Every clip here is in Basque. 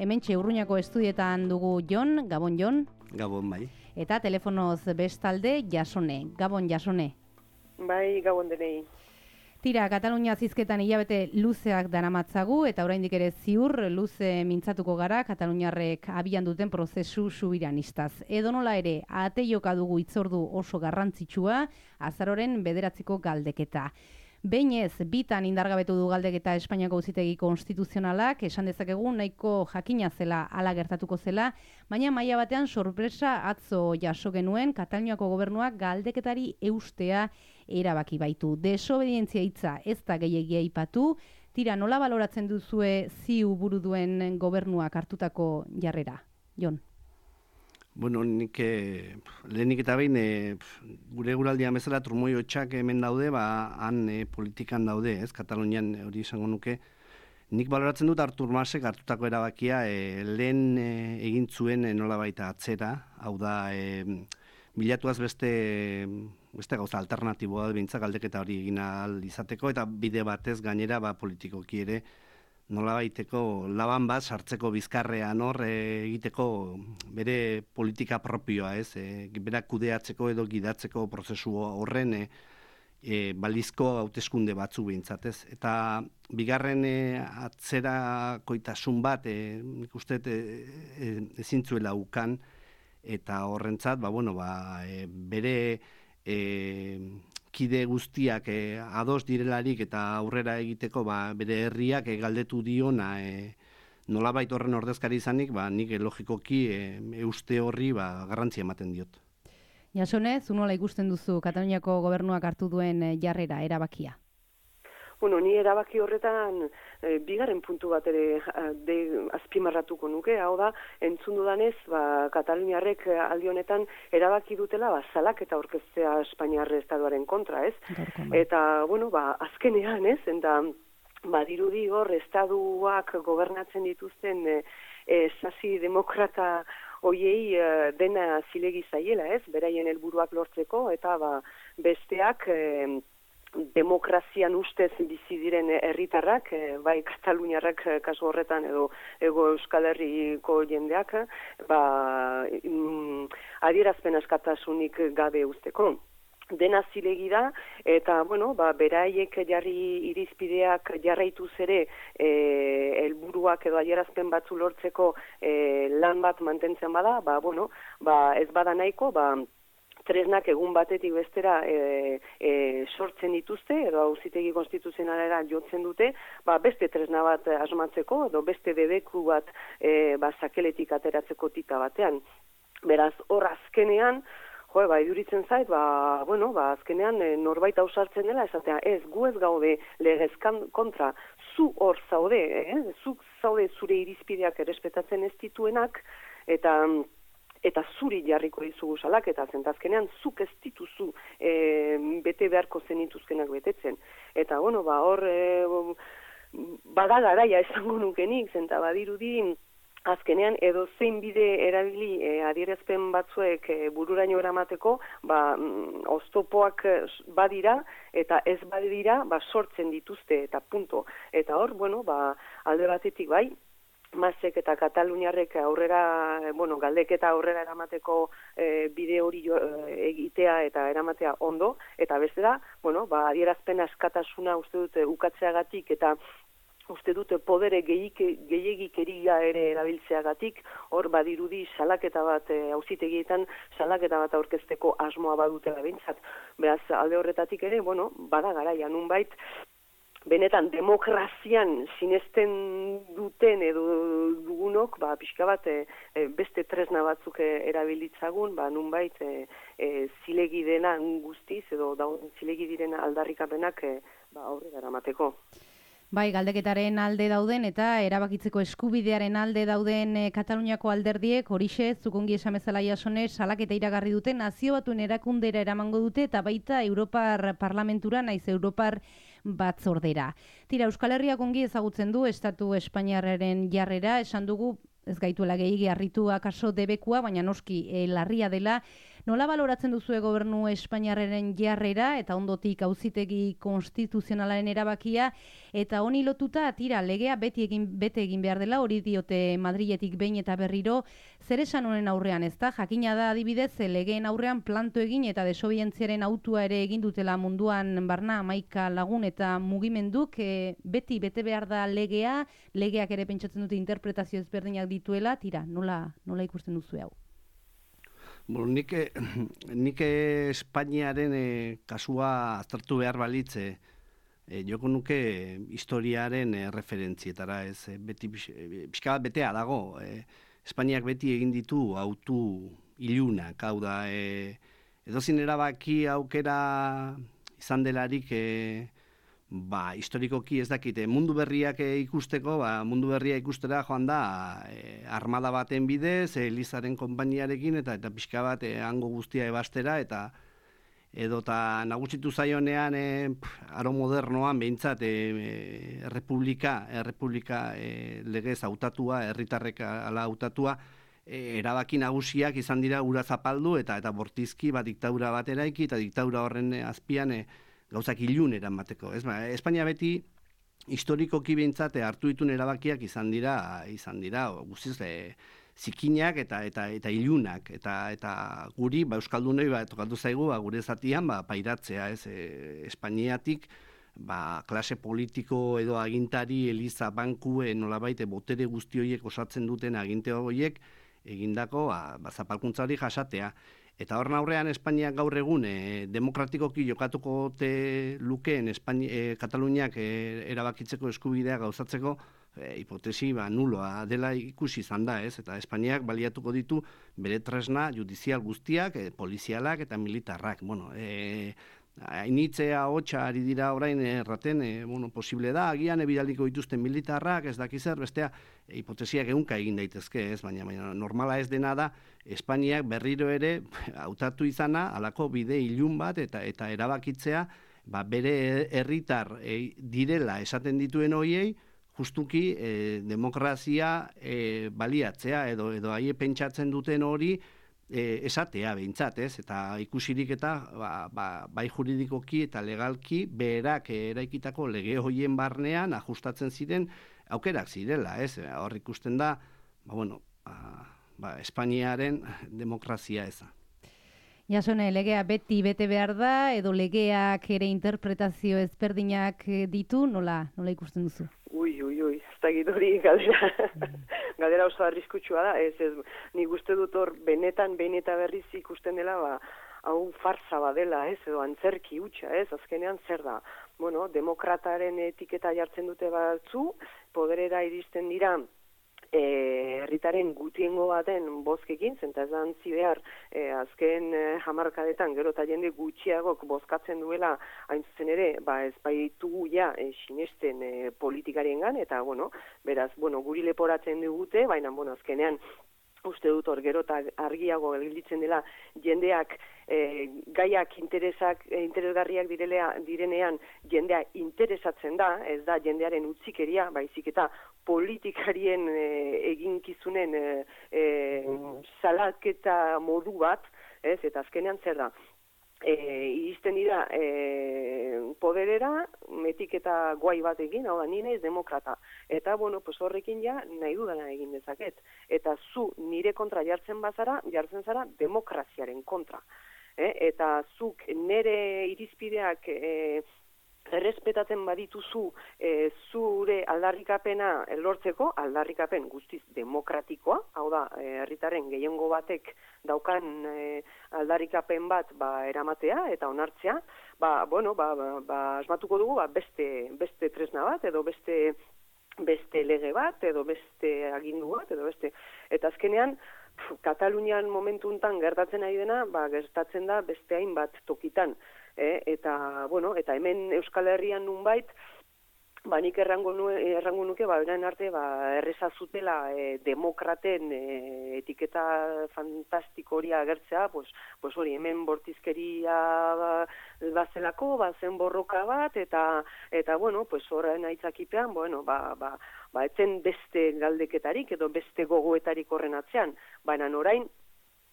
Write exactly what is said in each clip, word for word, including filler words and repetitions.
Hementxe Urruñako estudietan dugu Jon, Gabon Jon. Gabon bai. Eta telefonoz bestalde Jasone. Gabon Jasone. Bai, Gabon denei. Tira, Katalunia zizketan hilabete luzeak daramatzagu eta oraindik ere ziur luze mintzatuko gara Kataluniarrek abian duten prozesu subiranistaz. Edonola ere, ate joka dugu itzordu oso garrantzitsua, azaroren bederatziko galdeketa. Behin ez, bitan indargabetu du galdeketa Espainiako Auzitegi Konstituzionalak, esan dezakegu nahiko jakina zela hala gertatuko zela, baina maila batean sorpresa atzo jaso genuen Kataluniako gobernuak galdeketari eustea erabaki baitu. Desobedientzia hitza ez da gehiegi aipatu. Tira, nola baloratzen duzue ziu buru duen gobernuak hartutako jarrera? Jon. Bueno, nik eh, lehenik eta behin eh, gure guraldia bezala trumoi hotxak hemen daude, ba han eh, politikan daude, ez? Katalunian hori izango nuke. Nik baloratzen dut Artur Masek hartutako erabakia eh, lehen eh, egin zuen eh, nolabait atzera, hau da eh, bilatuaz beste beste gauza alternatiboa behintzak galdeketa hori egin ahal izateko eta bide batez gainera ba politikoki ere nolabaiteko laban bat sartzeko bizkarrean hor e, egiteko bere politika propioa, ez? E, berak kudeatzeko edo gidatzeko prozesu horren e, e, balizko hauteskunde batzu behintzat, ez? Eta bigarren e, atzerakoitasun bat e, nik uste e, e, ezin zuela ukan eta horrentzat, ba, bueno, ba, e, bere e, kide guztiak e, ados direlarik eta aurrera egiteko ba, bere herriak e, galdetu diona e, nolabait horren ordezkari izanik, ba, nik e, logikoki e, euste horri ba, garrantzia ematen diot. Jasone, zu nola ikusten duzu Kataluniako gobernuak hartu duen jarrera, erabakia? Bueno, ni erabaki horretan e, bigarren puntu bat ere de, azpimarratuko nuke, hau da, entzun dudanez, ba, Kataluniarrek aldi honetan erabaki dutela ba, salaketa aurkeztea Espainiar estatuaren kontra, ez? Eta, bueno, ba, azkenean, ez? Eta, ba, dirudi hor, estatuak gobernatzen dituzten e, e, sasi demokrata hoiei e, dena zilegi zaiela, ez? Beraien helburuak lortzeko, eta ba, besteak E, demokrazian ustez bizi diren herritarrak, bai Kataluniarrak kasu horretan edo ego Euskal Herriko jendeak, ba, mm, adierazpen askatasunik gabe usteko. Dena zilegi da, eta, bueno, ba, beraiek jarri irizpideak jarraituz ere e, helburuak edo adierazpen batzu lortzeko e, lan bat mantentzen bada, ba, bueno, ba, ez bada nahiko, ba, tresnak egun batetik bestera e, e, sortzen dituzte, edo Auzitegi Konstituzionalera jotzen dute, ba, beste tresna bat asmatzeko, edo beste debeku bat e, ba, sakeletik ateratzeko tika batean. Beraz, hor azkenean, jo, ba, iduritzen zait, ba, bueno, ba, azkenean e, norbait ausartzen dela, esatea, ez, gu ez gaude legezkan kontra, zu hor zaude, eh? zu zaude zure irizpideak errespetatzen ez dituenak, eta eta zuri jarriko dizugu salaketa, zentazkenean zuk ez dituzu e, bete beharko zenituzkenak betetzen. Eta, bueno, ba, hor e, bada garaia esango nukenik, zenta badirudi azkenean edo zein bide erabili e, adierazpen batzuek e, bururaino eramateko, ba, mm, oztopoak badira, eta ez badira, ba, sortzen dituzte, eta punto. Eta hor, bueno, ba, alde batetik bai, Masek eta Kataluniarrek aurrera, bueno, galdeketa aurrera eramateko e, bide hori jo, e, egitea eta eramatea ondo, eta beste da, bueno, ba, adierazpen askatasuna uste dute ukatzeagatik eta uste dute podere gehiagikeria ere erabiltzeagatik, hor badirudi salaketa bat, e, auzitegietan salaketa bat aurkezteko asmoa badutela behintzat. Beraz, alde horretatik ere, bueno, bada garaia nunbait, benetan demokrazian sinesten duten edo dugunok, ba, pixka bat e, beste tresna batzuk e, erabilitzagun, ba, nunbait e, e, zilegi dena guztiz edo da, zilegi diren aldarrikapenak e, ba, aurrera eramateko. Bai, galdeketaren alde dauden eta erabakitzeko eskubidearen alde dauden e, Kataluniako alderdiek horixe zukongi esan bezala Jasone salaketa iragarri dute nazio batuen erakundera eramango dute eta baita Europar Parlamentura naiz Europar batzordera. Tira, Euskal Herriak ongi ezagutzen du Estatu Espainiarraren jarrera, esan dugu ez gaituela gehiagi harritu akaso debekua, baina noski e, larria dela Nola baloratzen duzue gobernu Espainiarraren jarrera eta ondotik auzitegi konstituzionalaren erabakia, eta honi lotuta tira legea beti egin bete egin behar dela, hori diote Madriletik behin eta berriro, zer esan honen aurrean, ezta? Jakina da adibidez legeen aurrean planto egin eta desobedientziaren autua ere egin dutela munduan barna hamaika lagun eta mugimenduk, e, beti bete behar da legea, legeak ere pentsatzen dute interpretazio ezberdinak dituela, tira, nola, nola ikusten duzu hau? Bueno, nik, nik Espainiaren e, kasua aztertu behar balitze, e, joko nuke historiaren e, referentzietara, ez, e, beti pixka bat betea dago, e, Espainiak beti egin ditu autu ilunak, hau da, e, edozin erabaki aukera izan delarik, e, ba, historikoki ez dakite, mundu berriak e, ikusteko, ba, mundu berria ikustera joan da, e, armada baten bidez, e, Elizaren konpainiarekin, eta eta pixka bat e, hango guztia ebastera, eta edota nagusitu zaionean e, aro modernoan behintzat e, e, errepublika, errepublika e, legez hautatua, herritarrek ala hautatua, e, erabaki nagusiak izan dira ura zapaldu eta eta bortizki bat diktadura bat eraiki eta diktadura horren azpian e, gauzak ilun eramateko. Ez, ba, Espainia beti historikoki behintzat hartu ditun erabakiak izan dira, izan dira guztiz e, zikinak eta eta eta ilunak eta eta guri ba euskaldunoi ba tokatu zaigu ba gure zatian ba pairatzea, ez, e, Espainiatik ba klase politiko edo agintari, eliza, banku, e, nolabait botere guzti horiek osatzen duten aginte horiek egindako ba, ba zapalkuntza hori jasatea. Eta horren aurrean Espainiak gaur egun e, demokratikoki jokatuko te lukeen Espainia, e, Kataluniak e, erabakitzeko eskubidea gauzatzeko e, hipotesi ba, nuloa dela ikusi izan da, ez? Eta Espainiak baliatuko ditu bere tresna judizial guztiak, e, polizialak eta militarrak. Bueno, e, hainitzea hotxa ari dira orain erraten, e, bueno, posible da, agian ebidaliko dituzten militarrak, ez daki zer, bestea, e, hipotesiak egunka egin daitezke, ez, baina, baina normala ez dena da, Espainiak berriro ere hautatu izana, halako bide ilun bat, eta eta erabakitzea, ba, bere herritar e, direla esaten dituen horiei, justuki e, demokrazia e, baliatzea, edo edo haie pentsatzen duten hori, E, esatea behintzat, ez? Eta ikusirik eta ba, ba, bai juridikoki eta legalki berak eraikitako lege hoien barnean ajustatzen ziren aukerak zirela, ez? Hor ikusten da, ba, bueno, ba, ba, Espainiaren demokrazia eza. Jasone, legea beti bete behar da, edo legeak ere interpretazio ezberdinak ditu, nola, nola ikusten duzu? Ui, ui, ui, ez da hori galdera, galdera oso arriskutsua da, ez, ez, nik uste dut hor benetan, behin eta berriz ikusten dela, ba, hau farsa badela, ez, edo antzerki hutsa, ez, azkenean zer da, bueno, demokrataren etiketa jartzen dute batzu, poderera iristen dira, herritaren e, gutiengo baten bozkekin, zenta ez da antzi behar, e, azken e, hamarkadetan gero eta jende gutxiagok bozkatzen duela, hain zuzen ere, ba ez baitugu ja e, sinesten e, politikariengan, eta bueno, beraz, bueno, guri leporatzen digute, baina, bueno, azkenean, uste dut hor gero eta argiago gelditzen dela jendeak e, gaiak interesak, e, interesgarriak direlea, direnean jendea interesatzen da, ez da jendearen utzikeria, baizik eta politikarien e, eginkizunen e, e, salaketa modu bat, ez, eta azkenean zer da. E, iristen dira e, poderera, etiketa guai bat egin, hau da, ni naiz demokrata. Eta, bueno, pues horrekin ja nahi dudana egin dezaket. Eta zu nire kontra jartzen bazara, jartzen zara demokraziaren kontra. E, eta zuk nire irizpideak e, errespetatzen badituzu e, zure aldarrikapena lortzeko, aldarrikapen guztiz demokratikoa, hau da, herritaren gehiengo batek daukan e, aldarrikapen bat ba, eramatea eta onartzea, ba, bueno, ba, ba, ba, asmatuko dugu ba, beste, beste tresna bat, edo beste, beste lege bat, edo beste agindu bat, edo beste. Eta azkenean, pf, Katalunian momentu untan gertatzen ari dena, ba, gertatzen da beste hainbat tokitan. E, eta, bueno, eta hemen Euskal Herrian nunbait, ba, nik errango, nu, errango nuke, ba, orain arte, ba, erreza zutela e, demokraten e, etiketa fantastiko hori agertzea, pues, pues hori, hemen bortizkeria ba, bazelako, ba, zen borroka bat, eta, eta bueno, pues horren aitzakipean, bueno, ba, ba, ba, etzen beste galdeketarik, edo beste gogoetarik horren atzean, baina orain,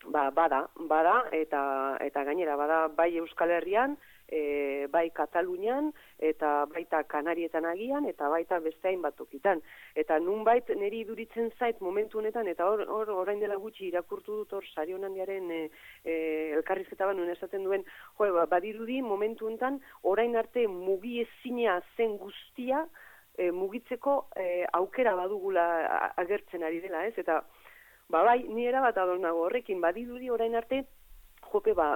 ba, bada, bada, eta, eta gainera, bada bai Euskal Herrian, e, bai Katalunian, eta baita Kanarietan agian, eta baita beste hainbat tokitan. Eta nunbait niri iduritzen zait momentu honetan, eta hor, hor orain dela gutxi irakurtu dut hor Sari Onandiaren e, e, elkarrizketa nuen esaten duen, jo, ba, badirudi momentu honetan, orain arte mugiezina zen guztia, e, mugitzeko e, aukera badugula agertzen ari dela, ez? Eta ba bai, ni erabat ados nago horrekin, badirudi orain arte, jope, ba,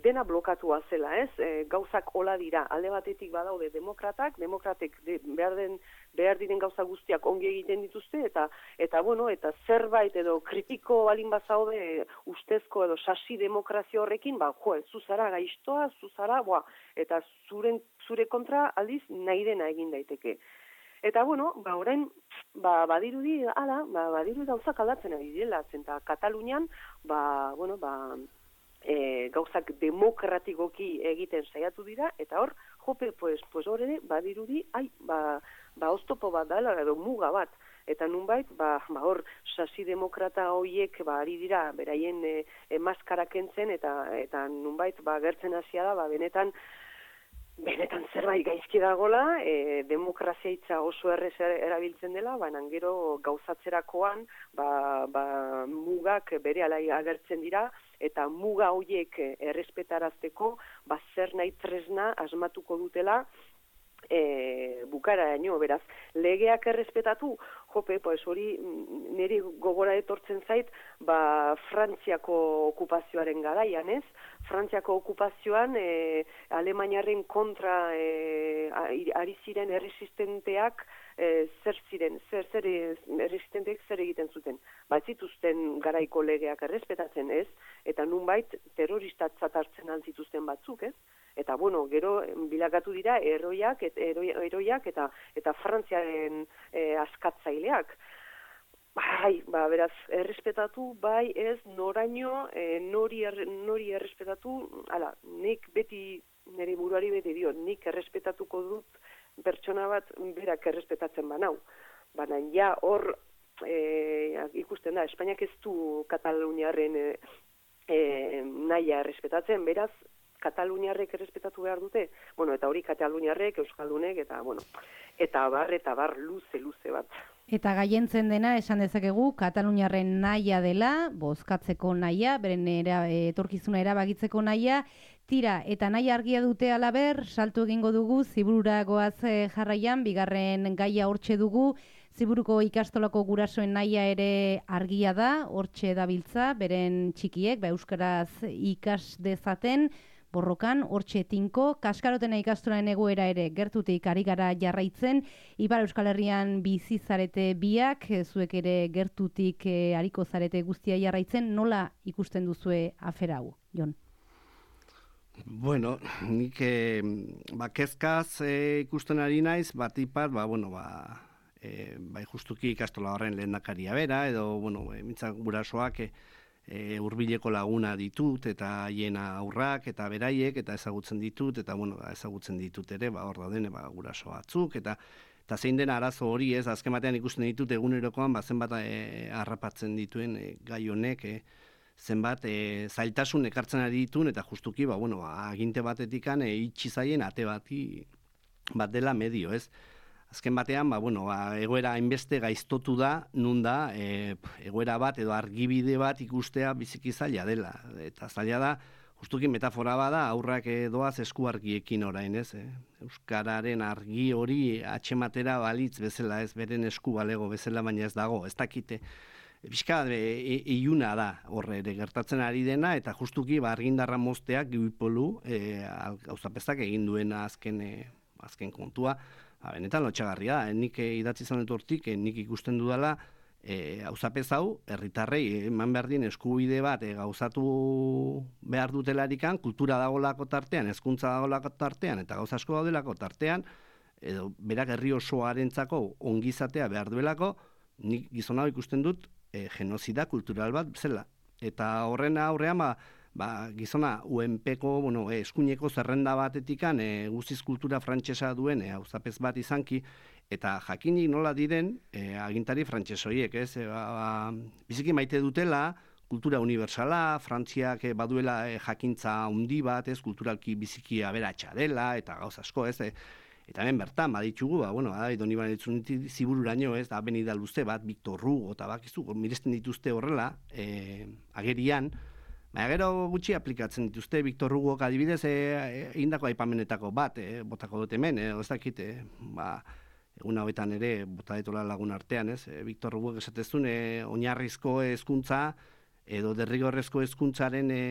dena blokatua zela, ez? E, gauzak hola dira, alde batetik badaude demokratak, demokratek de, behar, den, behar diren gauza guztiak ongi egiten dituzte, eta, eta bueno, eta zerbait edo kritiko balin bazaude ustezko edo sasi demokrazio horrekin, ba, jo, zuzara gaiztoa, zuzara, boa, eta zuren, zure kontra aldiz nahi dena egin daiteke. Eta, bueno, ba, orain, ba, badirudi, ala, ba, badirudi gauzak aldatzen ari direla, zenta Katalunian, ba, bueno, ba, e, gauzak demokratikoki egiten saiatu dira, eta hor, jope, pues, pues hor ere, badirudi, ai, ba, ba, oztopo bat dela, edo muga bat, eta nunbait, ba, ba hor, sasi demokrata hoiek, ba, ari dira, beraien e, e, maskara kentzen, eta, eta nunbait, ba, gertzen hasia da, ba, benetan, Benetan zerbait gaizki dagola, e, demokrazia hitza oso errez erabiltzen dela, baina gero gauzatzerakoan ba, ba, mugak bere alai agertzen dira, eta muga horiek errespetarazteko ba, zer nahi tresna asmatuko dutela e, bukaraino, beraz, legeak errespetatu, jope, pues hori niri gogora etortzen zait, ba, Frantziako okupazioaren garaian, ez? Frantziako okupazioan e, Alemaniaren kontra e, ari ziren erresistenteak e, zer ziren, zer, zer erresistenteak zer egiten zuten. Ba, ez zituzten garaiko legeak errespetatzen, ez? Eta nunbait terroristatzat hartzen altzituzten batzuk, ez? Eta, bueno, gero bilakatu dira eroiak, et, eroi, eroiak eta, eta Frantziaren e, askatzaileak. Bai, ba, beraz, errespetatu, bai, ez, noraino, e, nori, er, nori errespetatu, ala, nik beti, nire buruari beti dio, nik errespetatuko dut pertsona bat berak errespetatzen banau. Baina, ja, hor, e, ikusten da, Espainiak ez du Kataluniarren e, e, nahia errespetatzen, beraz, Kataluniarrek errespetatu behar dute, bueno, eta hori Kataluniarrek, Euskaldunek, eta, bueno, eta bar, eta bar, luze, luze bat. Eta gaientzen dena, esan dezakegu, Kataluniarren nahia dela, bozkatzeko nahia, beren era, etorkizuna erabakitzeko nahia, tira, eta nahi argia dute alaber, saltu egingo dugu, ziburura goaz jarraian, bigarren gaia hortxe dugu, Ziburuko ikastolako gurasoen nahia ere argia da, hortxe dabiltza, beren txikiek, ba, euskaraz ikas dezaten, borrokan, hortxe tinko, kaskarotena ikastolaren egoera ere gertutik ari gara jarraitzen, Ipar Euskal Herrian bizi zarete biak, zuek ere gertutik e, ariko zarete guztia jarraitzen, nola ikusten duzue afera hau, Jon? Bueno, nik eh, ba, kezkaz eh, ikusten ari naiz, bat ipat, ba, bueno, ba, E, bai justuki ikastola horren lehendakaria bera, edo, bueno, e, mintzak gurasoak e, e, hurbileko laguna ditut, eta haien aurrak, eta beraiek, eta ezagutzen ditut, eta, bueno, ezagutzen ditut ere, ba, hor dauden, ba, guraso batzuk, eta eta zein dena arazo hori, ez, azken batean ikusten ditut egunerokoan, ba, zenbat e, harrapatzen dituen e, gai honek, e, zenbat e, zailtasun ekartzen ari dituen, eta justuki, ba, bueno, ba, aginte batetikan e, itxi zaien ate bati bat dela medio, ez? Azken batean, ba, bueno, ba, egoera hainbeste gaiztotu da, nun da, e, egoera bat edo argibide bat ikustea biziki zaila dela. Eta zaila da, justuki metafora bada, aurrak doaz esku argiekin orain, ez? Eh? Euskararen argi hori atxematera balitz bezala, ez, beren esku balego bezala, baina ez dago, ez dakite. Bizka, e, iluna da horre ere gertatzen ari dena, eta justuki ba, argindarra mozteak gibipolu e, gauzapezak egin duena azken, e, azken kontua. Ha, benetan lotxagarria da, nik idatzi izan dut hortik, nik ikusten dudala, e, gauzapez hau, herritarrei eman behar dien eskubide bat e, gauzatu behar dutelarikan, kultura dagolako tartean, hezkuntza dagolako tartean, eta gauza asko daudelako tartean, edo berak herri osoarentzako ongizatea behar duelako, nik gizon hau ikusten dut e, genozida kultural bat zela. Eta horren aurrean, ba, ba, gizona U N Pko, bueno, e, eskuineko zerrenda batetikan e, guztiz kultura frantsesa duen e, auzapez bat izanki, eta jakinik nola diren e, agintari frantsesoiek, ez? E, ba, ba, biziki maite dutela kultura universala, Frantziak baduela e, jakintza handi bat, ez, kulturalki biziki aberatsa dela, eta gauz asko, ez, e, eta hemen bertan, baditugu, ba, bueno, da, Doni Banetxuniti zibururaino, ez, da, benida luze bat, Victor Hugo, eta bakizu, miresten dituzte horrela, e, agerian, baina gero gutxi aplikatzen dituzte, Victor Hugo adibidez, egindako e, aipamenetako bat, e, botako dut hemen, e, ez dakit, e, ba, egun hauetan ere, bota detola lagun artean, ez, e, Victor Hugo esatezun, e, oinarrizko hezkuntza edo derrigorrezko hezkuntzaren e,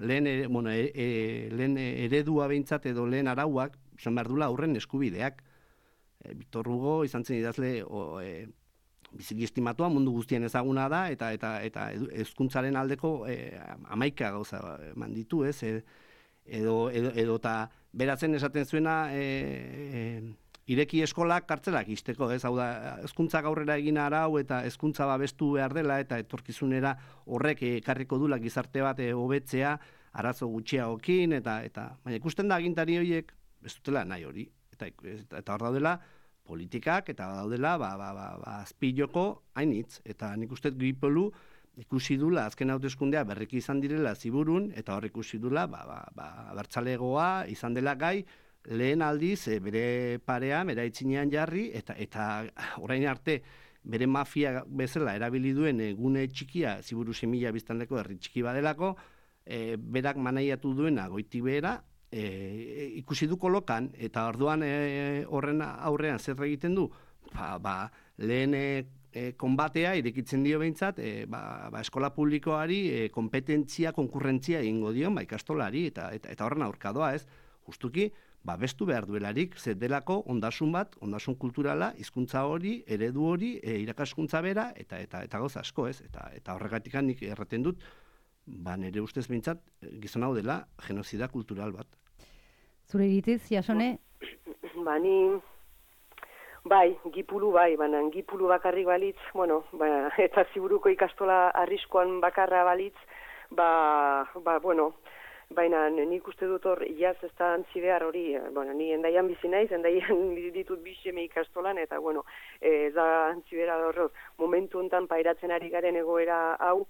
lehen, e, bueno, e, e, lehen eredua behintzat edo lehen arauak, izan behar dula aurren eskubideak. E, Victor Hugo izan zen idazle o, e, biziki estimatua mundu guztien ezaguna da, eta eta eta hezkuntzaren aldeko e, amaika gauza eman ditu, ez? E, edo, edo, edo ta beratzen esaten zuena e, e, ireki eskolak kartzelak izteko, ez? Hau da, hezkuntzak aurrera egin arau eta hezkuntza babestu behar dela eta etorkizunera horrek ekarriko dula gizarte bat hobetzea, arazo gutxiagokin, eta eta baina ikusten da agintari horiek ez dutela nahi hori, eta, eta hor daudela politikak, eta daudela ba, ba, ba, ba, azpiloko hainitz, eta nik uste Gripolu ikusi dula azken hauteskundea berriki izan direla ziburun, eta hor ikusi dula ba, ba, ba, abertzalegoa izan dela gai, lehen aldiz e, bere parea, bera itzinean jarri, eta eta orain arte bere mafia bezala erabili duen e, gune txikia, ziburu semila biztanleko herri txiki badelako, e, berak manaiatu duena goiti behera, E, ikusi du kolokan, eta orduan e, horren aurrean zer egiten du, ba, ba, lehen e, e, konbatea irekitzen dio behintzat, e, ba, ba, eskola publikoari e, kompetentzia, konkurrentzia egingo dio, ba, ikastolari, eta, eta, eta horren aurkadoa, ez, justuki, ba, bestu behar duelarik, zer delako ondasun bat, ondasun kulturala, hizkuntza hori, eredu hori, e, irakaskuntza bera, eta eta eta goza asko, ez, eta, eta horregatik nik erraten dut, ba, nire ustez behintzat, gizon hau dela, genozida kultural bat. Zure iritziz, Jasone? Ba, ni, bai, Gipulu bai, baina Gipulu bakarrik balitz, bueno, ba, eta ziburuko ikastola arriskoan bakarra balitz, ba, ba, bueno, baina nik uste dut hor, iaz ez da antzi behar hori, bueno, ni endaian bizi naiz, endaian ditut biseme ikastolan, eta, bueno, ez da antzi behar hor, momentu honetan pairatzen ari garen egoera hau,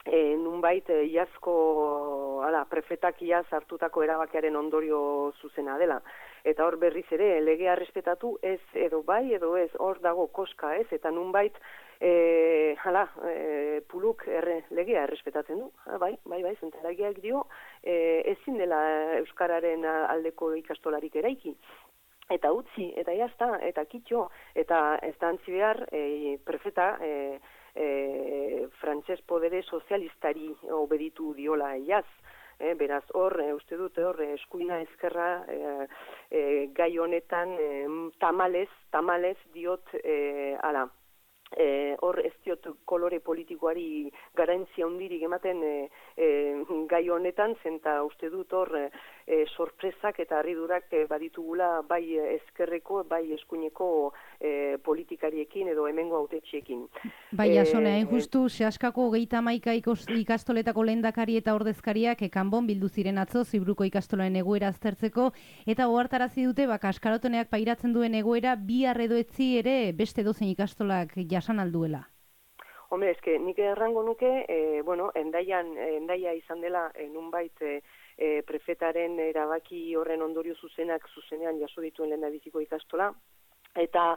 E, nunbait e, iazko ala, prefetak iaz hartutako erabakiaren ondorio zuzena dela. Eta hor berriz ere, legea errespetatu ez edo bai edo ez, hor dago koska ez, eta nunbait e, hala, e, puluk erre, legea errespetatzen du. Ha, bai, bai, bai, zentaragiak dio, e, ezin dela Euskararen aldeko ikastolarik eraiki. Eta utzi, eta jazta, eta kitxo, eta ez da antzi behar, e, prefeta, e, E, frantses podere sozialistari obeditu diola iaz. E, beraz, hor, e, uste dute hor, eskuina ezkerra e, e, gai honetan e, tamalez, tamalez diot e, ala. E, hor ez diot kolore politikoari garantzia hundirik ematen e, e, gai honetan, zenta uste dut hor e, sorpresak eta harridurak e, baditugula bai ezkerreko, bai eskuineko e, politikariekin edo hemengo hautetxeekin. Bai, Jasone, hain justu, Seaskako hogeita hamaika ikastoletako lehendakari eta ordezkariak kanbon bildu ziren atzo Ziburuko ikastolaren egoera aztertzeko, eta ohartarazi dute ba Kaskarotoneak pairatzen duen egoera bihar edo etzi ere beste dozen ikastolak jasan alduela. Hombre, eske nik errango nuke, e, bueno, endaian, endaia izan dela e, nunbait e, e, prefetaren erabaki horren ondorio zuzenak zuzenean jaso dituen lehendabiziko ikastola, eta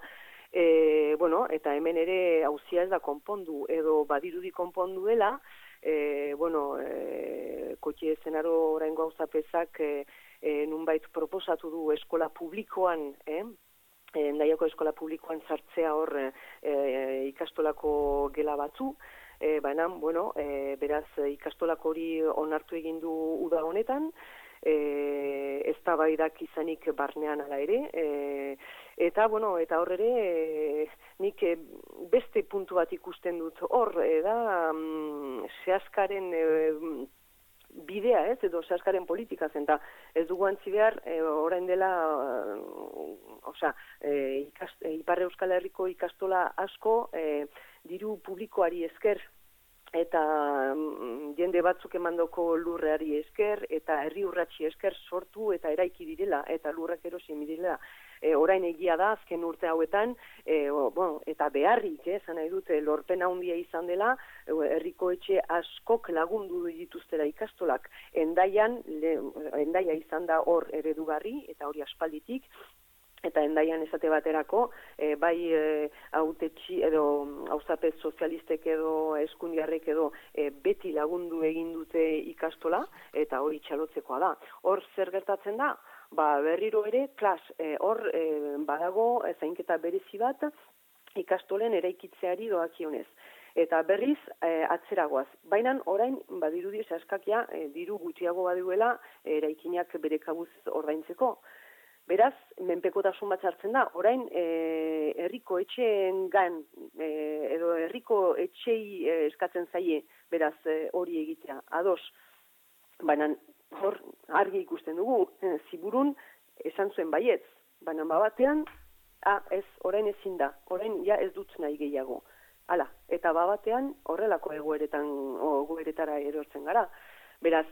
e, bueno, eta hemen ere auzia ez da konpondu, edo badirudi konpondu dela, e, bueno, e, kotxe zenaro oraingo auzapezak e, e, nunbait proposatu du eskola publikoan, eh? Endaiako eskola publikoan sartzea hor e, ikastolako gela batzu, e, baina, bueno, e, beraz ikastolako hori onartu egin du uda honetan, e, eztabaidak izanik barnean ala ere, e, eta, bueno, eta hor ere, e, nik e, beste puntu bat ikusten dut hor, e, da, mm, Seaskaren e, bidea ez, edo Seaskaren politika zen, eta ez dugu antzi behar, e, orain dela, uh, osea, e, ikast, e, Ipar Euskal Herriko ikastola asko, e, diru publikoari esker eta mm, jende batzuk emandoko lurreari esker, eta herri urratsi esker sortu eta eraiki direla, eta lurrak erosi direla. E, orain egia da, azken urte hauetan, e, o, bueno, eta beharrik, eh, zan nahi dute, lorpen handia izan dela, e, herriko etxe askok lagundu dituztera ikastolak. Endaian, le, endaia izan da hor eredugarri, eta hori aspalditik, eta endaian esate baterako, e, bai e, hautetxi edo hauzapez sozialistek edo eskundiarrek edo e, beti lagundu egin dute ikastola, eta hori txalotzekoa da. Hor zer gertatzen da? Ba, berriro ere, klas, e, hor e, badago e, zainketa berezi bat ikastolen eraikitzeari doakionez. Eta berriz e, atzeragoaz. Baina orain, badirudi askakia, e, diru gutxiago baduela e, eraikinak bere kabuz ordaintzeko. Beraz, menpekotasun bat hartzen da, orain e, herriko etxeen gan, e, edo herriko etxei e, eskatzen zaie, beraz, e, hori egitea, ados. Baina, hor, argi ikusten dugu, e, ziburun esan zuen baietz, baina babatean, ah, ez, orain ezin da, orain ja ez dut nahi gehiago. Hala, eta babatean horrelako egoeretan, egoeretara erortzen gara. Beraz,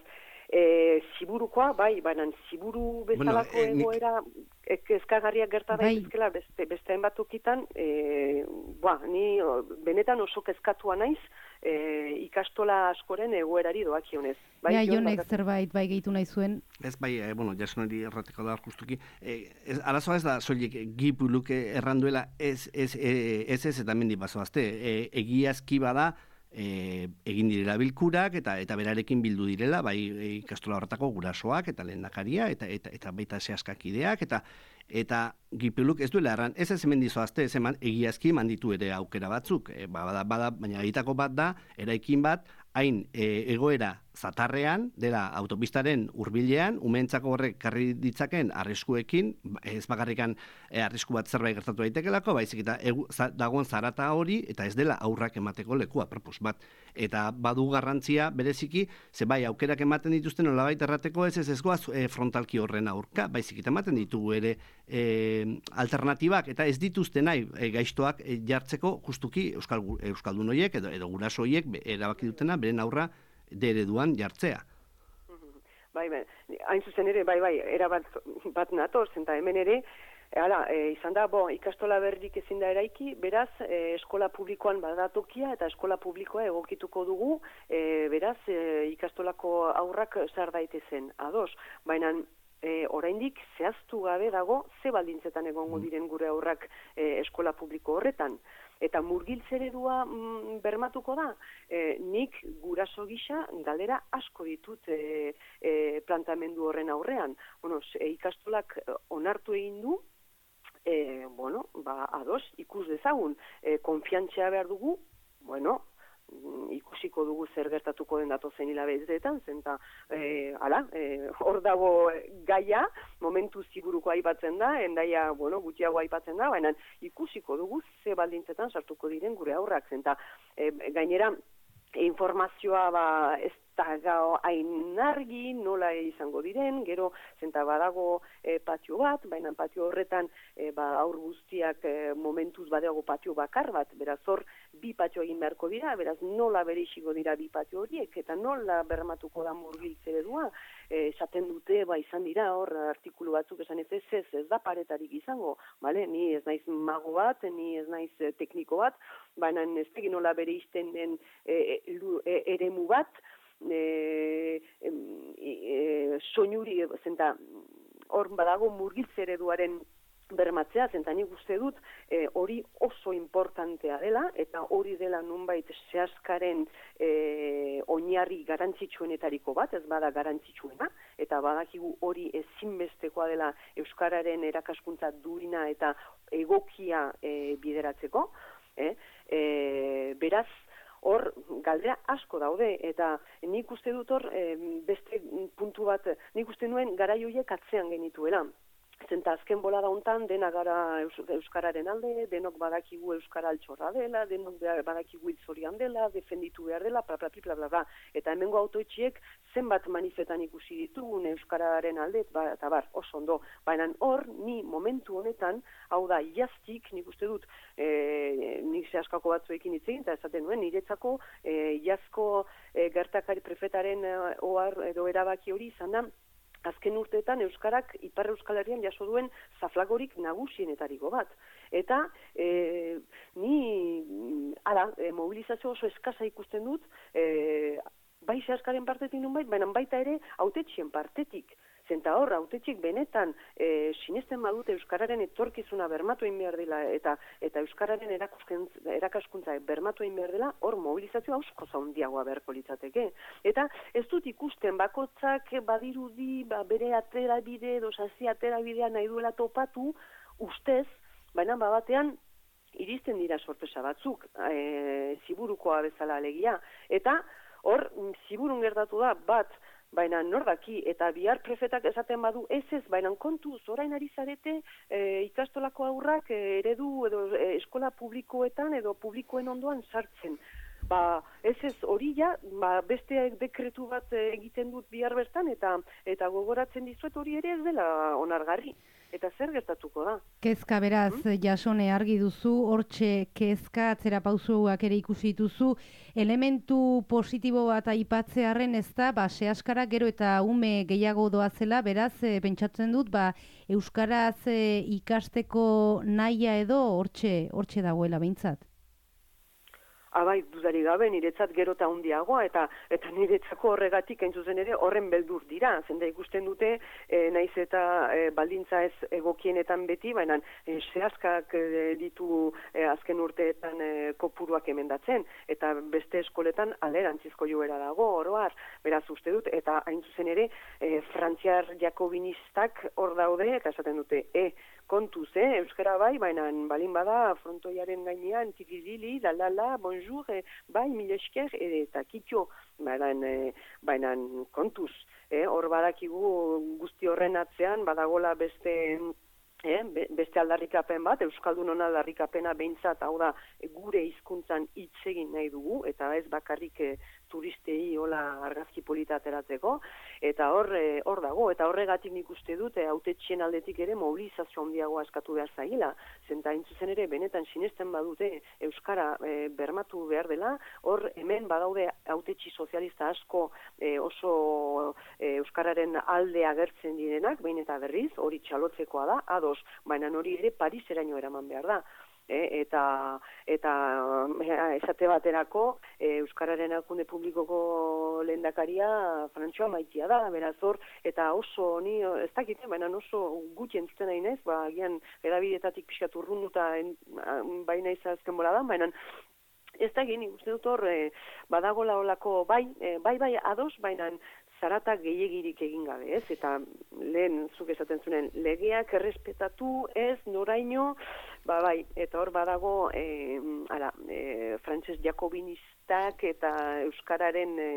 E, ziburukoa, bai, baina ziburu bezalako bueno, eh, egoera nik... kezkagarriak gerta daitezkela beste, beste hainbat tokitan, e, ba, ni benetan oso kezkatua naiz e, ikastola askoren egoerari doakionez. Bai, ja, Jonek zerbait bai gehitu nahi zuen. Ez bai, e, bueno, jasonari errateko da justuki. E, ez, arazoa ez da, soilik gipuluk erranduela ez ez, ez, ez, ez eta mendi bazoazte. E, egiazki bada, E, egin direla bilkurak eta eta berarekin bildu direla bai ikastola horretako gurasoak eta lehendakaria eta eta eta baita zehaskakideak eta eta gipeluk ez duela erran ez ez hemen dizoazte ez eman egiazki manditu ere aukera batzuk e, bada, bada, baina egitako bat da eraikin bat hain e, egoera zatarrean dela autopistaren hurbilean umeentzako horrek karri ditzaken arriskuekin ez bakarrikan e, arrisku bat zerbait gertatu daitekelako baizik eta egu, za, dagoen zarata hori eta ez dela aurrak emateko lekua propos bat eta badu garrantzia bereziki ze bai aukerak ematen dituzten nolabait errateko ez ez ezgoaz e, frontalki horren aurka baizik eta ematen ditugu ere e, alternatibak eta ez dituzte nahi e, gaiztoak e, jartzeko justuki euskal euskaldun horiek edo edo guraso horiek erabaki dutena beren aurra de ereduan jartzea. Bai, bai, hain zuzen ere, bai, bai, era bat, bat nator, zenta hemen ere, hala, e, izan da, bo, ikastola berrik ezin da eraiki, beraz, e, eskola publikoan badatokia eta eskola publikoa egokituko dugu, e, beraz, e, ikastolako aurrak zar daitezen, ados, baina, e, oraindik zehaztu gabe dago, ze baldintzetan egongo diren gure aurrak e, eskola publiko horretan. Eta murgiltzeredua mm, bermatuko da, e, nik guraso gisa galdera asko ditut e, e, plantamendu horren aurrean. Bueno, e, ikastolak onartu egin du, e, bueno, ba, ados, ikus dezagun, e, konfiantzia behar dugu, bueno, ikusiko dugu zer gertatuko den datozen hilabeteetan, zenta e, ala, e, hor dago gaia, momentu ziburuko aipatzen da, endaia, bueno, gutxiago aipatzen da, baina ikusiko dugu ze baldintzetan sartuko diren gure aurrak, zenta e, gainera informazioa ba ez da gau hain argi, nola izango diren, gero zenta badago e, patio bat, baina patio horretan e, ba, aur guztiak e, momentuz badago patio bakar bat, beraz hor bi patio egin beharko dira, beraz nola bereixiko dira bi patio horiek, eta nola bermatuko da murgiltze eredua, esaten e, dute, ba izan dira hor artikulu batzuk esan ez ez, ez, ez da paretarik izango, bale? Ni ez naiz mago bat, ni ez naiz e, tekniko bat, baina ez tegin nola bereizten den e, e, eremu bat, E, e, e, soinuri zenta hor badago murgiltze ereduaren bermatzea, zenta nik uste dut e, hori oso importantea dela eta hori dela nunbait zehaskaren e, oinarri garantzitsuenetariko bat, ez bada garantzitsuena eta badakigu hori ezinbestekoa dela euskararen erakaskuntza durina eta egokia e, bideratzeko e, e, beraz hor galdera asko daude eta nik uste dut hor e, beste puntu bat, nik uste nuen garai horiek atzean genituela. Zenta azken bolada hontan dena gara euskararen alde, denok badakigu euskara altxorra dela, denok badakigu hiltzorian dela, defenditu behar dela, bla bla bla bla bla. Eta hemengo autoetxiek zenbat manifetan ikusi ditugun euskararen alde, ba, eta bar, oso ondo. Baina hor, ni momentu honetan, hau da, iaztik, nik uste dut, e, nik zehaskako batzuekin hitz egin, eta esaten nuen, niretzako e, iazko e, gertakari prefetaren e, ohar edo erabaki hori izan da, azken urteetan Euskarak Ipar Euskal Herrian jaso duen zaflagorik nagusienetariko bat. Eta e, ni ara, e, mobilizazio oso eskasa ikusten dut, e, bai zehaskaren partetik nun bait, baina baita ere hautetxien partetik. Zenta hor, hautetxik benetan e, sinesten badute Euskararen etorkizuna bermatu egin behar dela eta eta Euskararen erakaskuntza bermatu egin behar dela, hor mobilizazioa asko zaundiagoa beharko litzateke. Eta ez dut ikusten bakotzak badirudi ba, bere aterabide edo sasi aterabidea nahi duela topatu ustez, baina batean iristen dira sorpresa batzuk, e, ziburukoa bezala alegia. Eta hor, ziburun gertatu da bat, baina nordaki, eta bihar prefetak esaten badu ez ez, baina kontuz, orain ari zarete e, ikastolako aurrak e, eredu edo e, eskola publikoetan edo publikoen ondoan sartzen. Ba, ez ez hori ja, ba, beste dekretu bat egiten dut bihar bertan, eta eta gogoratzen dizuet hori ere ez dela onargarri. Eta zer gertatuko da? Kezka beraz, hmm? Jasone argi duzu, hortxe kezka, atzera pausuak ere ikusi dituzu, elementu positibo bat aipatzearren ez da, ba, sehaskara gero eta ume gehiago doazela, beraz, e, pentsatzen dut, ba, euskaraz e, ikasteko nahia edo hortxe, hortxe dagoela behintzat. Abai, dudari gabe, niretzat gero eta handiagoa, eta eta niretzako horregatik hain zuzen ere horren beldur dira. Zenda ikusten dute, e, naiz eta e, baldintza ez egokienetan beti, baina e, zehazkak e, ditu e, azken urteetan e, kopuruak emendatzen, eta beste eskoletan alderantzizko joera dago, oroar, beraz uste dut, eta hain zuzen ere, e, frantziar jakobinistak hor daude, eta esaten dute, e, kontuz, eh? Euskara bai, baina balin bada frontoiaren gainean, tikizili, lalala, bonjour, eh? Bai, mila esker, eta kitxo, baina, eh, baina kontuz, eh? Hor badakigu guzti horren atzean, badagola beste... Eh, beste aldarrikapen bat, Euskaldun aldarrikapena behintzat, hau da, gure hizkuntzan hitz egin nahi dugu, eta ez bakarrik e, turistei hola argazki polita ateratzeko, eta hor, e, hor dago, eta horregatik nik uste dut, hautetxien aldetik ere mobilizazio handiagoa eskatu behar zaila, zenta intzuzen ere benetan sinesten badute Euskara e, bermatu behar dela, hor hemen badaude hautetxi sozialista asko e, oso e, Euskararen alde agertzen direnak, behin eta berriz, hori txalotzekoa da, ados, baina hori ere Pariseraino eraman behar da. E, eta eta esate baterako e, Euskararen erakunde publikoko lehendakaria Frantxoa Maitia da, beraz hor, eta oso, ni ez dakit, baina oso gutxi entzuten nahi nez, ba, gian edabidetatik pixkat urrunduta baina izazken bola da, baina ez da gini, uste dut hor, e, badagola olako, bai, e, bai, bai, ados, baina zarata gehiagirik egin gabe, ez? Eta lehen, zuk esaten zuen, legeak errespetatu, ez, noraino, ba, bai, eta hor badago, e, ala, e, frantses jakobinistak eta euskararen e,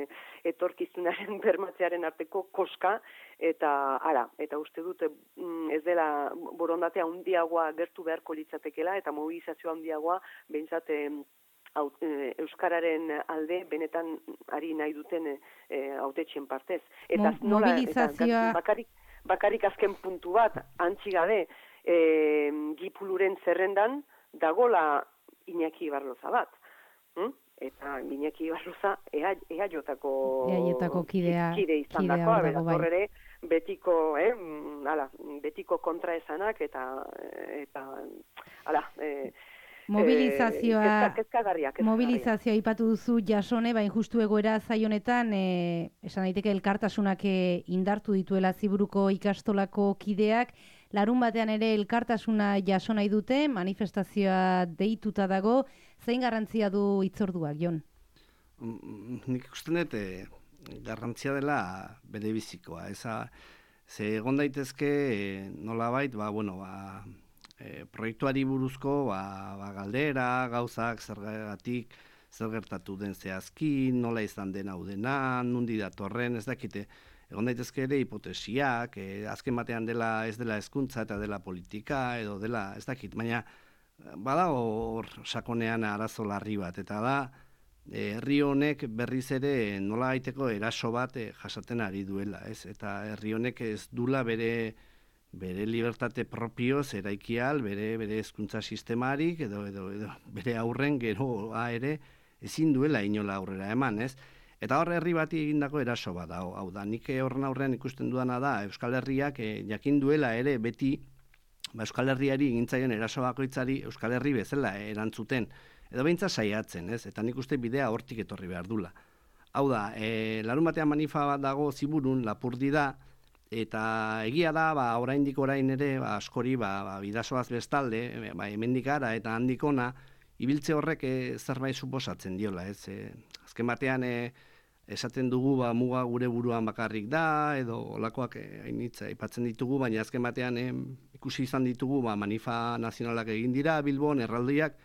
etorkizunaren bermatzearen arteko koska, eta, ara, eta uste dut, ez dela borondatea handiagoa gertu beharko litzatekela, eta mobilizazioa handiagoa, behintzat, Euskararen alde benetan ari nahi duten hautetxien partez. Eta Mo, mobilizazioa... Eta bakarik, bakarik azken puntu bat, antzi gabe, e, Gipuluren zerrendan dagola Iñaki Barloza bat. Hm? Eta Iñaki Barloza ea, ea jotako eaietako kidea, kide izan kidea dakoa, dago, bai. Horre betiko, eh, ala, betiko kontraesanak eta, eta ala, eh, Mobilizazioa, eh, kezka, kezkagarria, kezkagarria. mobilizazioa ipatu duzu Jasone, bain justu egoera zaionetan, e, esan daiteke elkartasunak e, indartu dituela Ziburuko ikastolako kideak, larun batean ere elkartasuna jaso nahi dute, manifestazioa deituta dago, zein garrantzia du hitzorduak, Jon? Nik ikusten dut, garrantzia dela bere bizikoa, eza, ze egon daitezke e, nolabait, ba, bueno, ba, E, proiektuari buruzko ba, ba, galdera, gauzak, zergatik, zer gertatu den zehazki, nola izan den hau dena, nundi datorren, ez dakite, egon daitezke ere hipotesiak, e, azken batean dela ez dela hezkuntza eta dela politika, edo dela, ez dakit, baina badago hor sakonean arazo larri bat, eta da, herri honek berriz ere nola gaiteko eraso bat e, jasaten ari duela, ez? Eta herri honek ez dula bere bere libertate propioz eraikial, bere bere hezkuntza sistemarik edo, edo, edo bere aurren geroa ere ezin duela inola aurrera eman, ez? Eta hor herri bati egindako eraso bat da, hau da, nik horren aurrean ikusten dudana da Euskal Herriak e, jakin duela ere beti ba, Euskal Herriari egintzaien eraso bakoitzari Euskal Herri bezala erantzuten, edo beintza saiatzen, ez? Eta nik uste bidea hortik etorri behar dula. Hau da, e, larun batean manifa bat dago Ziburun, Lapurdi da, eta egia da, ba, oraindik orain ere, ba, askori, ba, ba, bidasoaz bestalde, ba, hemendik ara eta handikona, ibiltze horrek e, zerbait suposatzen diola, ez? E, azken batean, e, esaten dugu, ba, muga gure buruan bakarrik da, edo olakoak e, hainitza aipatzen ditugu, baina azken batean e, ikusi izan ditugu, ba, manifa nazionalak egin dira, Bilbon, erraldiak,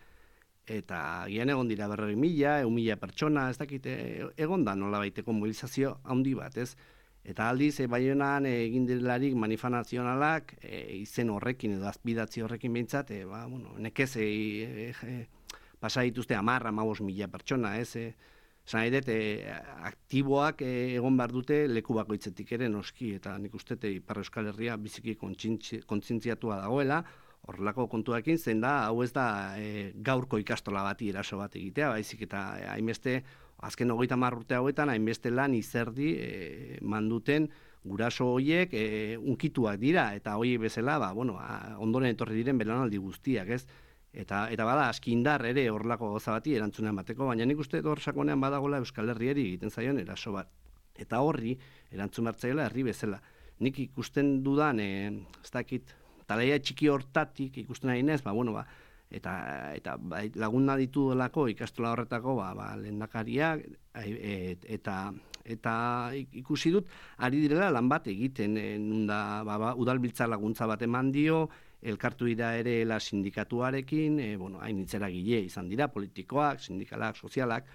eta gian egon dira berroi mila, egun mila pertsona, ez dakite, egon da nola baiteko mobilizazio handi bat, ez? Eta aldiz, e, Baionan egin direlarik manifa nazionalak, e, izen horrekin edo azpidatzi horrekin behintzat, e, ba, bueno, nekez e, e, e, pasa dituzte amarra, amabos mila pertsona, ez? E, Zan edet, e, aktiboak e, egon behar dute leku bakoitzetik ere noski, eta nik uste Ipar Euskal Herria biziki kontzientziatua dagoela, horrelako kontuakin, zen da, hau ez da e, gaurko ikastola bati eraso bat egitea, baizik eta e, hainbeste, azken hogeita hamar urte hauetan, hainbeste lan izerdi e, manduten guraso horiek e, unkituak dira, eta hori bezala, ba, bueno, a, ondoren etorri diren belaunaldi guztiak, ez? Eta, eta bada, aski indar ere horrelako gauza bati erantzuna emateko, baina nik uste hor sakonean badagola Euskal Herriari egiten zaion eraso bat. Eta horri, erantzun bertzaiola herri bezala. Nik ikusten dudan, e, ez dakit, talaia txiki hortatik ikusten nahi nez, ba, bueno, ba, eta, eta ba, laguna ditu delako ikastola horretako, ba, ba, lehendakariak, et, eta, eta ikusi dut, ari direla lan bat egiten, e, nunda, ba, ba, udalbiltza laguntza bat eman dio, elkartu dira ere la sindikatuarekin, e, bueno, hain itzeragile izan dira, politikoak, sindikalak, sozialak,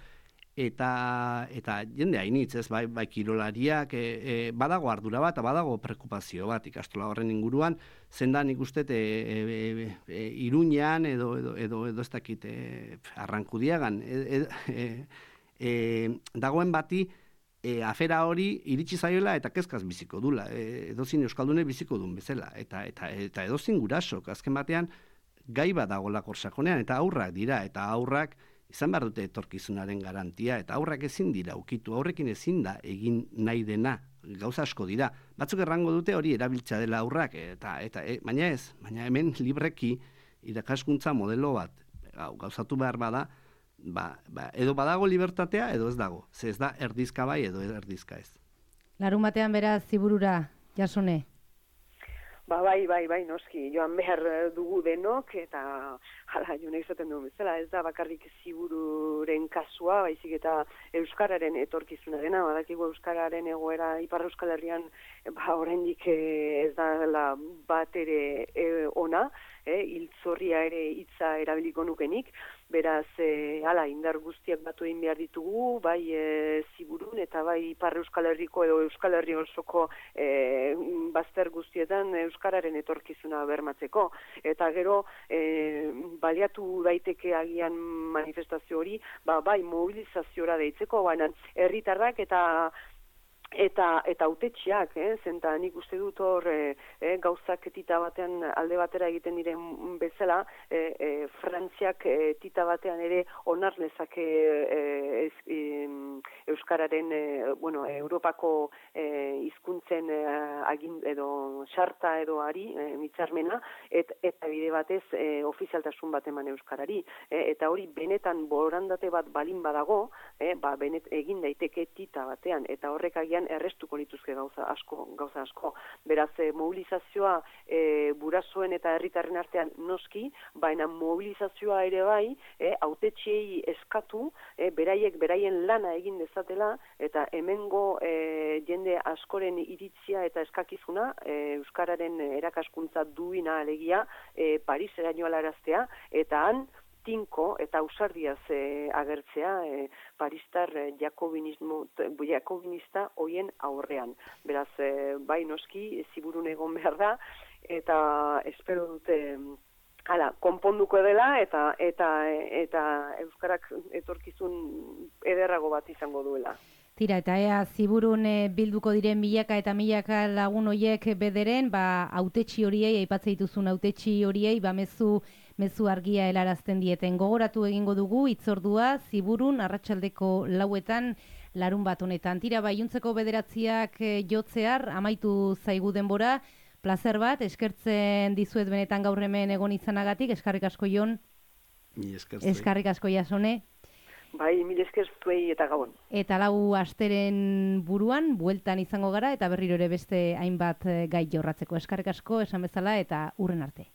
eta eta jende hainitz, ez, bai, bai kirolariak, e, e, badago ardura bat, badago preokupazio bat ikastola horren inguruan, zendan ikustet e, e, e, Iruñan edo, edo, edo, edo ez dakit e, Arrankudiagan, e, e, e, dagoen bati, E, afera hori iritsi zaiola eta kezkaz biziko dula, e, edozin euskaldune biziko duen bezala, eta, eta, eta edozin gurasok, azken batean gai bat dagoela korsakonean, eta aurrak dira, eta aurrak izan behar dute etorkizunaren garantia, eta aurrak ezin dira ukitu, aurrekin ezin da egin nahi dena, gauza asko dira, batzuk errango dute hori erabiltza dela aurrak, eta, eta e, baina ez, baina hemen libreki irakaskuntza modelo bat, gau, gauzatu behar bada, Ba, ba, edo badago libertatea, edo ez dago. Ze ez da erdizka bai, edo erdizka ez. Larun batean beraz Ziburura, Jasone? Ba, bai, bai, bai, noski, joan behar dugu denok, eta hala, jone izaten duen bezala, ez da bakarrik Zibururen kasua, baizik eta Euskararen etorkizuna dena, badakigu Euskararen egoera Ipar Euskal Herrian, ba, oraindik ez da bat ere e, ona, e, hiltzorria ere hitza erabiliko nukenik, beraz, e, hala, indar guztiak batu egin behar ditugu, bai e, Ziburun eta bai Ipar Euskal Herriko edo Euskal Herri osoko e, bazter guztietan Euskararen etorkizuna bermatzeko. Eta gero, e, baliatu daiteke agian manifestazio hori, ba, bai mobilizaziora deitzeko, baina herritarrak eta Eta eta hautetxeak, eh, zenta nik uste dut hor eh, eh, gauzak tita batean alde batera egiten diren bezala, eh, eh, Frantziak eh, tita batean ere onar lezake eh, eh, Euskararen, eh, bueno, Europako eh, hizkuntzen eh, agin edo sarta edo ari, eh, mitzarmena, et, eta bide batez eh, ofizialtasun bat eman Euskarari. Eh, eta hori benetan borandate bat balin badago, eh, ba, benet egin daiteke tita batean, eta horrek agian errestuko lituzke gauza asko, gauza asko. Beraz, e, mobilizazioa e, burasoen eta herritarren artean noski, baina mobilizazioa ere bai, e, hautetxeei eskatu, e, beraiek beraien lana egin dezatela, eta hemengo e, jende askoren iritzia eta eskakizuna, e, Euskararen erakaskuntza duina alegia, e, Parisera joalaraztea, eta han, tinko eta ausardiaz e, agertzea e, paristar e, jakobinismo, jakobinista hoien aurrean. Beraz, e, bai noski, ziburun egon behar da, eta espero dute hala, konponduko dela eta eta eta euskarak etorkizun ederrago bat izango duela. Tira, eta ea ziburun e, bilduko diren milaka eta milaka lagun hoiek bederen, ba hautetsi horiei, aipatzen dituzun hautetsi horiei, ba mezu mezu argia helarazten dieten. Gogoratu egingo dugu hitzordua ziburun arratsaldeko lauetan larun bat honetan. Tira, ba iluntzeko bederatziak e, jotzear amaitu zaigu denbora. Plazer bat, eskertzen dizuet benetan gaur hemen egon izanagatik, eskarrik asko Jon. Ni eskertzen. Eskarrik asko Jasone. Bai, mil esker zuei eta gabon. Eta lau asteren buruan, bueltan izango gara, eta berriro ere beste hainbat gai jorratzeko. Eskarrik asko, esan bezala, eta hurren arte.